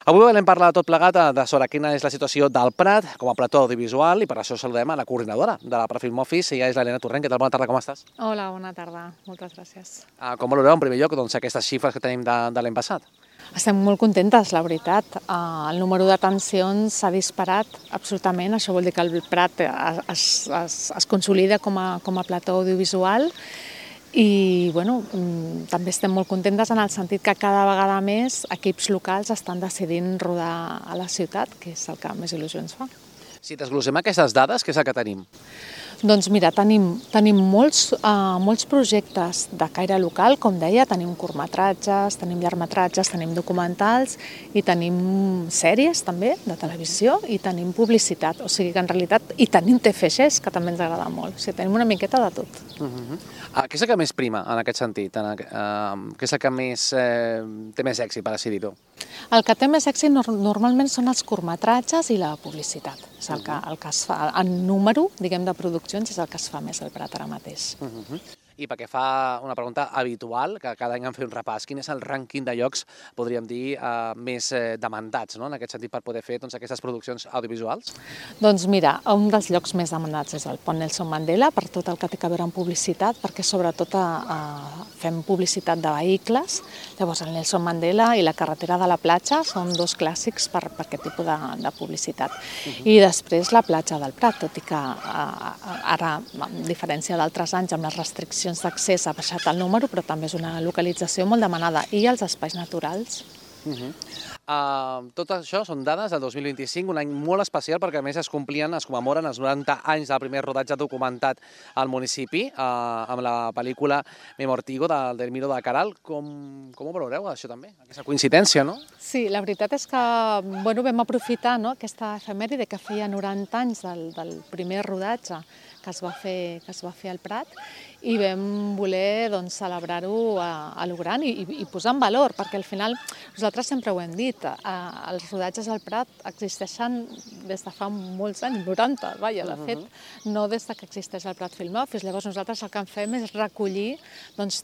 Avui volem parlar tot plegat sobre quina és la situació del Prat com a plató audiovisual i per això saludem a la coordinadora de la Prafilm Office, ella és l'Helena Torrent. Què tal? Bona tarda, com estàs? Hola, bona tarda. Moltes gràcies. Com valoreu en primer lloc aquestes xifres que tenim de l'any passat? Estem molt contentes, la veritat. El número d'atencions s'ha disparat absolutament. Això vol dir que el Prat es consolida com a plató audiovisual i també estem molt contentes en el sentit que cada vegada més equips locals estan decidint rodar a la ciutat, que és el que més il·lusió ens fa. Si desglossem aquestes dades, què és el que tenim? Doncs mira, tenim molts projectes de caire local, com deia, tenim curtmetratges, tenim llargmetratges, tenim documentals i tenim sèries també de televisió i tenim publicitat, o sigui que en realitat, i tenim TFGs, que també ens agrada molt, o sigui, tenim una miqueta de tot. Què és el que més prima en aquest sentit? Què és el que té més èxit, per així dir-ho? El que té més èxit normalment són els curtmetratges i la publicitat. És el que es fa, en número, diguem, de produccions, és el que es fa més al Prat ara mateix. I perquè fa una pregunta habitual, que cada any en fer un repàs, quin és el rànquing de llocs, podríem dir, més demandats, en aquest sentit, per poder fer aquestes produccions audiovisuals? Doncs mira, un dels llocs més demandats és el Pont Nelson Mandela, per tot el que té a veure amb publicitat, perquè sobretot fem publicitat de vehicles. Llavors el Nelson Mandela i la carretera de la platja són dos clàssics per aquest tipus de publicitat. I després la platja del Prat, tot i que ara, a diferència d'altres anys, amb les restriccions d'accés ha baixat el número, però també és una localització molt demanada. I els espais naturals. Tot això són dades del 2025, un any molt especial perquè a més es commemoren els 90 anys del primer rodatge documentat al municipi amb la pel·lícula Memortigo del Miro de Caral. Com ho valoreu, això també? Aquesta coincidència, no? Sí, la veritat és que vam aprofitar aquesta efemèride que feia 90 anys del primer rodatge que es va fer al Prat i vam voler celebrar-ho a lo gran i posar en valor, perquè al final nosaltres sempre ho hem dit, els rodatges al Prat existeixen des de fa molts anys, 90, vaja, de fet, no des que existeix el Prat Film Office. Llavors nosaltres el que fem és recollir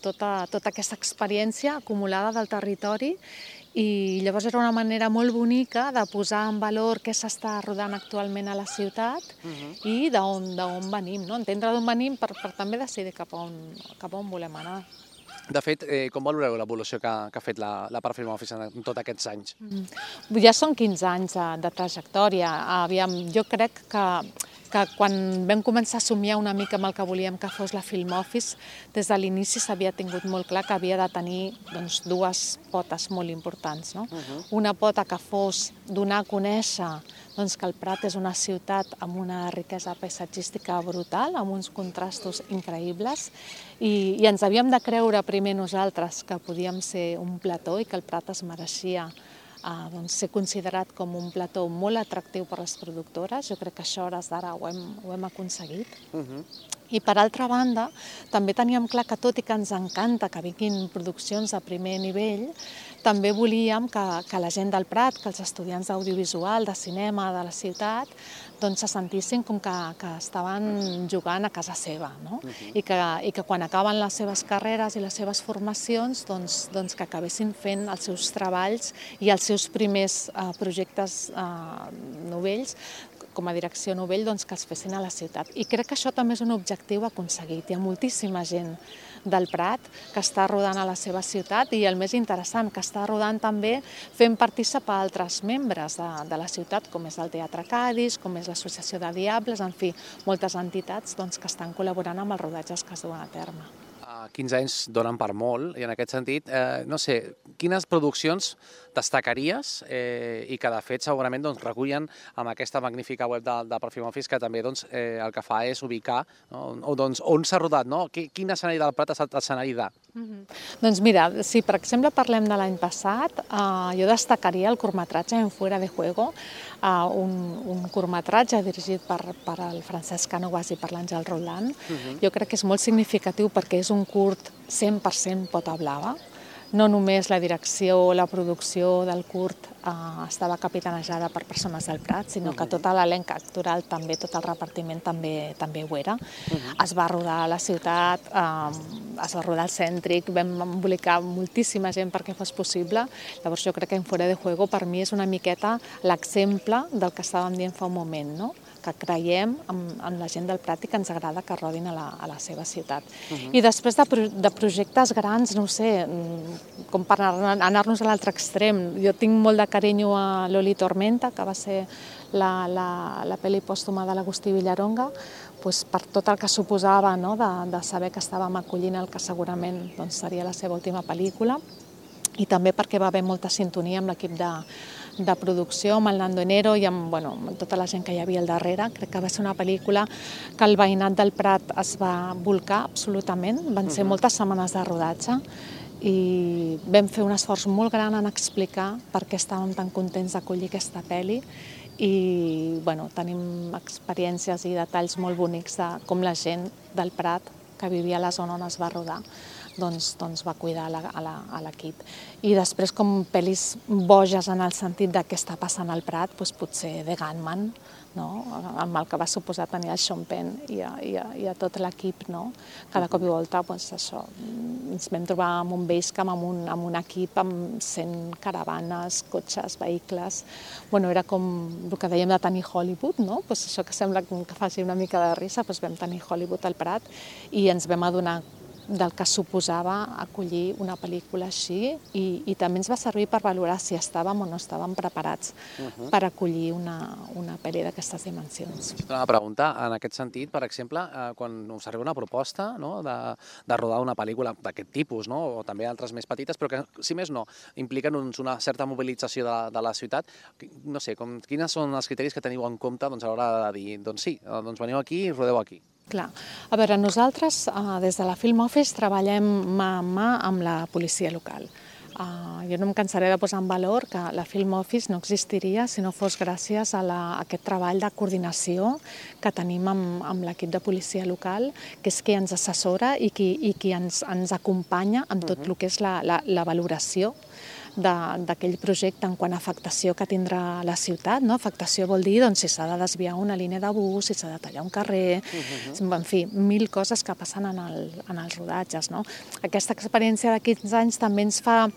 tota aquesta experiència acumulada del territori i llavors era una manera molt bonica de posar en valor què s'està rodant actualment a la ciutat i d'on venim, entendre d'on venim per també decidir cap a on volem anar. De fet, com valoreu l'evolució que ha fet la Prafilm Office en tots aquests anys? Ja són 15 anys de trajectòria. Jo crec que quan vam començar a somiar una mica amb el que volíem que fos la Film Office, des de l'inici s'havia tingut molt clar que havia de tenir dues potes molt importants. Una pota que fos donar a conèixer que el Prat és una ciutat amb una riquesa paisatgística brutal, amb uns contrastos increïbles, i ens havíem de creure primer nosaltres que podíem ser un plató i que el Prat es mereixia ser considerat com un plató molt atractiu per les productores. Jo crec que això a hores d'ara ho hem aconseguit. I per altra banda, també teníem clar que tot i que ens encanta que vinguin produccions de primer nivell, també volíem que la gent del Prat, que els estudiants d'audiovisual, de cinema de la ciutat, se sentissin com que estaven jugant a casa seva, i que quan acaben les seves carreres i les seves formacions que acabessin fent els seus treballs i els seus primers projectes novells com a direcció novell que els fessin a la ciutat. I crec que això també és un objectiu aconseguit. Hi ha moltíssima gent del Prat que està rodant a la seva ciutat i el més interessant, que està rodant també fent participar altres membres de la ciutat, com és el Teatre Cadis, com és l'Associació de Diables, en fi, moltes entitats que estan col·laborant amb els rodatges que es duen a terme. 15 anys donen per molt i en aquest sentit, no sé, quines produccions destacaries i que de fet segurament recullen amb aquesta magnífica web del Prafilm Office que també el que fa és ubicar on s'ha rodat, quin escenari del Prat ha estat l'escenari de? Doncs mira, si per exemple parlem de l'any passat, jo destacaria el curtmetratge En Fuera de Juego, un curtmetratge dirigit per el Francesc Cánovas i per l'Àngel Roldán. Jo crec que és molt significatiu perquè és un curt 100% pota blava. no només la direcció, la producció del curt estava capitanejada per persones del Prat, sinó que tot l'elenc actoral també, tot el repartiment també ho era. Es va rodar a la ciutat, es va rodar al cèntric, vam embolicar moltíssima gent perquè fos possible. Llavors jo crec que En Fuera de Juego per mi és una miqueta l'exemple del que estàvem dient fa un moment, no? Que creiem en la gent del Prat i que ens agrada que rodin a la seva ciutat. I després de projectes grans, no ho sé, com per anar-nos a l'altre extrem. Jo tinc molt de carinyo a Loli Tormenta, que va ser la pel·li pòstuma de l'Agustí Villaronga, per tot el que suposava de saber que estàvem acollint el que segurament seria la seva última pel·lícula, i també perquè va haver molta sintonia amb l'equip de producció, amb el Nando Enero i amb tota la gent que hi havia al darrere. Crec que va ser una pel·lícula que el veïnat del Prat es va volcar absolutament. Van ser moltes setmanes de rodatge i vam fer un esforç molt gran en explicar per què estàvem tan contents d'acollir aquesta pel·li i tenim experiències i detalls molt bonics de com la gent del Prat que vivia a la zona on es va rodar va cuidar a l'equip. I després, com pel·lis boges en el sentit de què està passant al Prat, potser The Gunman, amb el que va suposar tenir el Sean Penn i a tot l'equip. Cada cop i volta ens vam trobar amb un basecamp, amb un equip amb 100 caravanes, cotxes, vehicles. Era com el que dèiem de tenir Hollywood, això que sembla que faci una mica de risa, vam tenir Hollywood al Prat i ens vam adonar del que suposava acollir una pel·lícula així i també ens va servir per valorar si estàvem o no estàvem preparats per acollir una pel·li d'aquestes dimensions. Una pregunta, en aquest sentit, per exemple, quan us arriba una proposta de rodar una pel·lícula d'aquest tipus, o també altres més petites, però que, si més no, impliquen una certa mobilització de la ciutat, no sé, quins són els criteris que teniu en compte a l'hora de dir, doncs sí, veniu aquí i rodeu aquí? Clar. A veure, nosaltres des de la Film Office treballem mà a mà amb la policia local. Jo no em cansaré de posar en valor que la Film Office no existiria si no fos gràcies a aquest treball de coordinació que tenim amb l'equip de policia local, que és qui ens assessora i qui ens acompanya en tot el que és la valoració d'aquell projecte en quant a afectació que tindrà la ciutat. Afectació vol dir si s'ha de desviar una línia de bus, si s'ha de tallar un carrer, en fi, 1000 coses que passen en els rodatges. Aquesta experiència de 15 anys també ens fa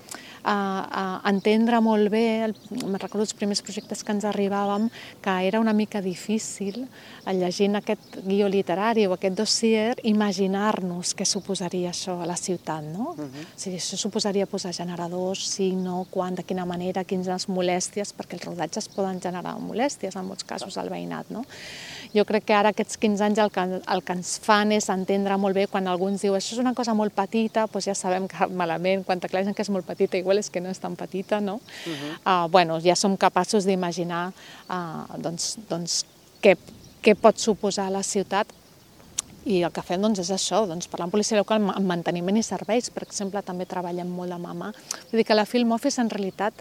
entendre molt bé, me'n recordo els primers projectes que ens arribàvem, que era una mica difícil, llegint aquest guió literari o aquest dossier, imaginar-nos què suposaria això a la ciutat. O sigui, això suposaria posar generadors, sí, no, quan, de quina manera, quines molèsties, perquè els rodatges poden generar molèsties en molts casos al veïnat. Jo crec que ara aquests 15 anys el que ens fan és entendre molt bé quan algú ens diu això és una cosa molt petita, doncs ja sabem que malament, quan t'aclareixen que és molt petita, igual és que no és tan petita, no? Ja som capaços d'imaginar què pot suposar a la ciutat. I el que fem és això, parlar amb policia local, amb manteniment i serveis, per exemple, també treballem molt de mà a mà. Vull dir que la Film Office, en realitat,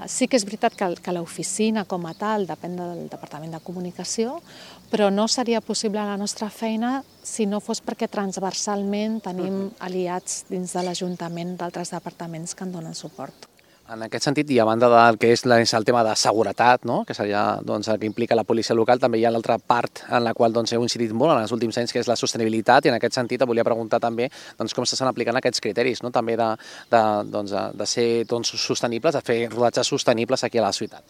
sí que és veritat que l'oficina com a tal depèn del Departament de Comunicació, però no seria possible la nostra feina si no fos perquè transversalment tenim aliats dins de l'Ajuntament d'altres departaments que en donen suport. En aquest sentit, i a banda del que és el tema de seguretat, que seria el que implica la policia local, també hi ha l'altra part en la qual heu incidit molt en els últims anys, que és la sostenibilitat, i en aquest sentit volia preguntar també com s'estan aplicant aquests criteris, també de ser sostenibles, de fer rodatges sostenibles aquí a la ciutat.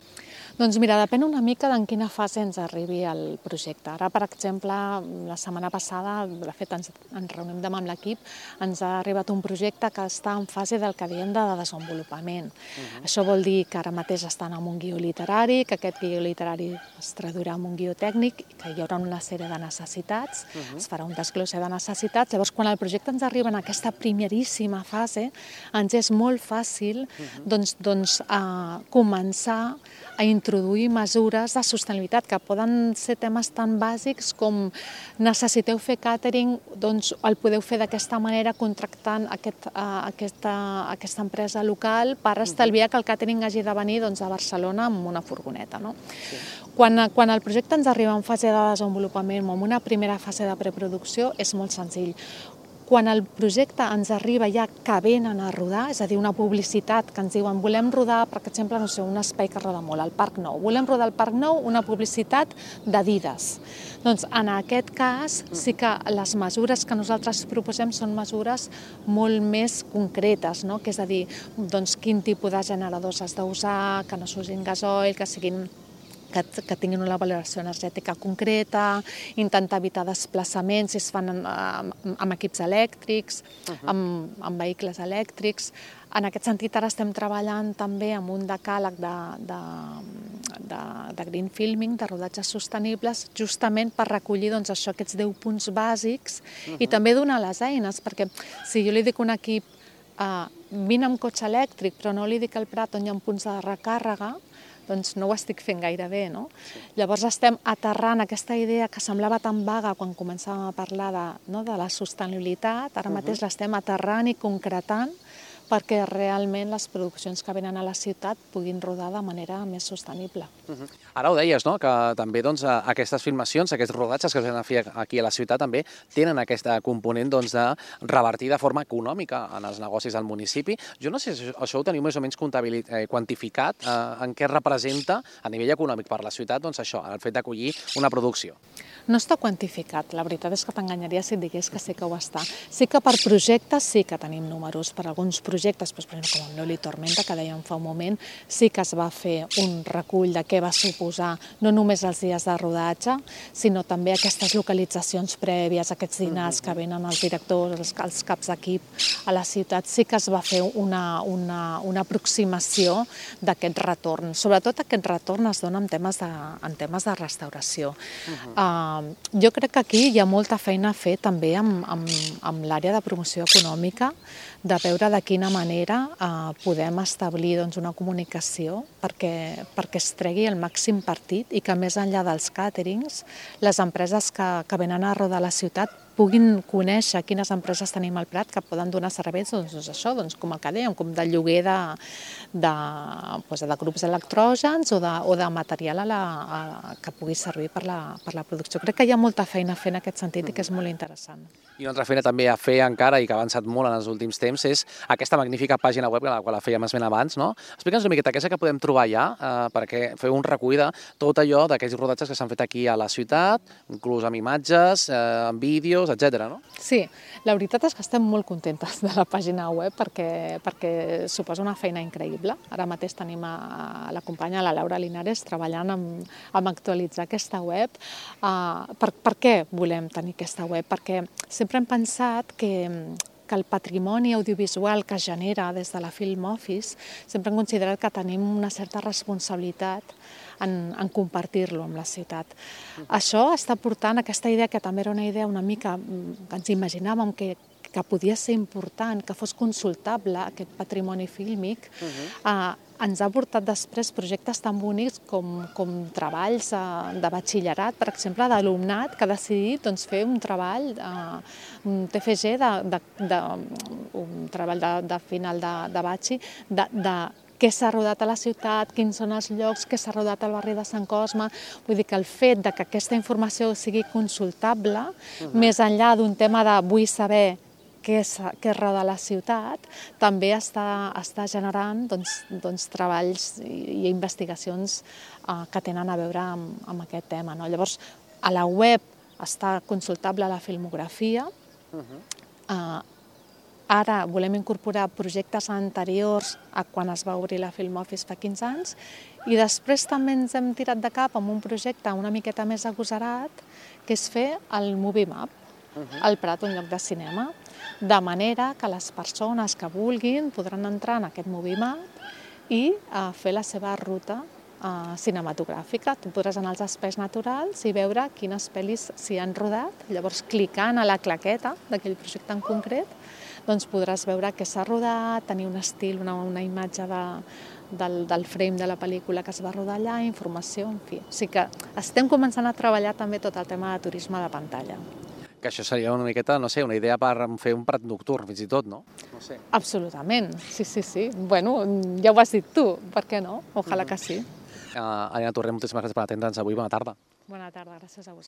Doncs mira, depèn una mica d'en quina fase ens arribi el projecte. Ara, per exemple, la setmana passada, de fet ens reunim demà amb l'equip, ens ha arribat un projecte que està en fase del que diem de desenvolupament. Això vol dir que ara mateix estan amb un guió literari, que aquest guió literari es traduirà en un guió tècnic, que hi haurà una sèrie de necessitats, es farà un desglose de necessitats. Llavors, quan el projecte ens arriba en aquesta primeríssima fase, ens és molt fàcil començar a introduir mesures de sostenibilitat, que poden ser temes tan bàsics com necessiteu fer càtering, doncs el podeu fer d'aquesta manera contractant aquesta empresa local per estalviar que el càtering hagi de venir a Barcelona amb una furgoneta. Quan el projecte ens arriba en fase de desenvolupament o en una primera fase de preproducció és molt senzill. quan el projecte ens arriba ja que venen a rodar, és a dir, una publicitat que ens diuen volem rodar, per exemple, no sé, un espai que roda molt, el Parc Nou. Volem rodar al Parc Nou una publicitat d'Adidas. Doncs en aquest cas sí que les mesures que nosaltres proposem són mesures molt més concretes, no? Que és a dir, doncs, quin tipus de generadors has d'usar, que no s'usin gasoil, que tinguin una valoració energètica concreta, intentar evitar desplaçaments si es fan amb equips elèctrics, amb vehicles elèctrics. En aquest sentit, ara estem treballant també amb un decàleg de green filming, de rodatges sostenibles, justament per recollir aquests 10 punts bàsics i també donar les eines, perquè si jo li dic a un equip vine amb cotxe elèctric, però no li dic al Prat on hi ha punts de recàrrega, doncs no ho estic fent gaire bé, no? Llavors estem aterrant aquesta idea que semblava tan vaga quan començàvem a parlar de la sostenibilitat, ara mateix l'estem aterrant i concretant perquè realment les produccions que venen a la ciutat puguin rodar de manera més sostenible. Ara ho deies, no?, que també aquestes filmacions, aquests rodatges que es venen a fer aquí a la ciutat també tenen aquest component de revertir de forma econòmica en els negocis del municipi. Jo no sé si això ho teniu més o menys quantificat, en què representa a nivell econòmic per la ciutat això, el fet d'acollir una producció. No està quantificat, la veritat és que t'enganyaria si et digués que sí que ho està. Sí que per projectes sí que tenim números, per alguns projectes, per exemple, com el Neoli Tormenta, que dèiem fa un moment, sí que es va fer un recull de què va suposar no només els dies de rodatge, sinó també aquestes localitzacions prèvies, aquests dinars que venen els directors, els caps d'equip a la ciutat, sí que es va fer una aproximació d'aquest retorn. Sobretot aquest retorn es dona en temes de restauració. Jo crec que aquí hi ha molta feina a fer també amb l'àrea de promoció econòmica, de veure de quina manera podem establir una comunicació perquè es tregui el màxim partit i que més enllà dels càterings, les empreses que venen a rodar la ciutat puguin conèixer quines empreses tenim al Prat que poden donar serveis, com el que dèiem, com de lloguer de grups electrògens o de material que pugui servir per la producció. Crec que hi ha molta feina a fer en aquest sentit i que és molt interessant. I una altra feina també a fer encara i que ha avançat molt en els últims temps és aquesta magnífica pàgina web, la qual la fèiem esment abans, no? Explica'ns una miqueta què és que podem trobar allà perquè feu un recull de tot allò d'aquells rodatges que s'han fet aquí a la ciutat, inclús amb imatges, amb vídeos, etc. no? Sí, la veritat és que estem molt contentes de la pàgina web perquè suposa una feina increïble. Ara mateix tenim la companya, la Laura Linares, treballant amb actualitzar aquesta web. Per què volem tenir aquesta web? Perquè sempre hem pensat que el patrimoni audiovisual que es genera des de la Film Office sempre hem considerat que tenim una certa responsabilitat en compartir-lo amb la ciutat. Això està portant aquesta idea, que també era una idea una mica que ens imaginàvem que podia ser important, que fos consultable aquest patrimoni fílmic, ens ha portat després projectes tan bonics com treballs de batxillerat, per exemple, d'alumnat que ha decidit fer un treball, un TFG, un treball de final de batxi, de què s'ha rodat a la ciutat, quins són els llocs, què s'ha rodat al barri de Sant Cosme. Vull dir que el fet que aquesta informació sigui consultable, més enllà d'un tema de vull saber què roda la ciutat, també està generant treballs i investigacions que tenen a veure amb aquest tema. Llavors, a la web està consultable la filmografia. Ara volem incorporar projectes anteriors a quan es va obrir la Film Office fa 15 anys i després també ens hem tirat de cap amb un projecte una miqueta més agosarat, que és fer el Movie Map al Prat, un lloc de cinema, de manera que les persones que vulguin podran entrar en aquest Movie Map i fer la seva ruta cinematogràfica. Tu podràs anar als espais naturals i veure quines pel·lis s'hi han rodat. Llavors, clicant a la claqueta d'aquell projecte en concret, podràs veure què s'ha rodat, tenir un estil, una imatge del frame de la pel·lícula que es va rodar allà, informació, en fi. O sigui que estem començant a treballar també tot el tema de turisme de pantalla. Que això seria una miqueta, no sé, una idea per fer un Prat nocturn, fins i tot, no? No sé. Absolutament, sí. Bueno, ja ho has dit tu, per què no? Ojalà que sí. Elena Torrent, moltíssimes gràcies per atendre'ns avui. Bona tarda. Bona tarda, gràcies a vosaltres.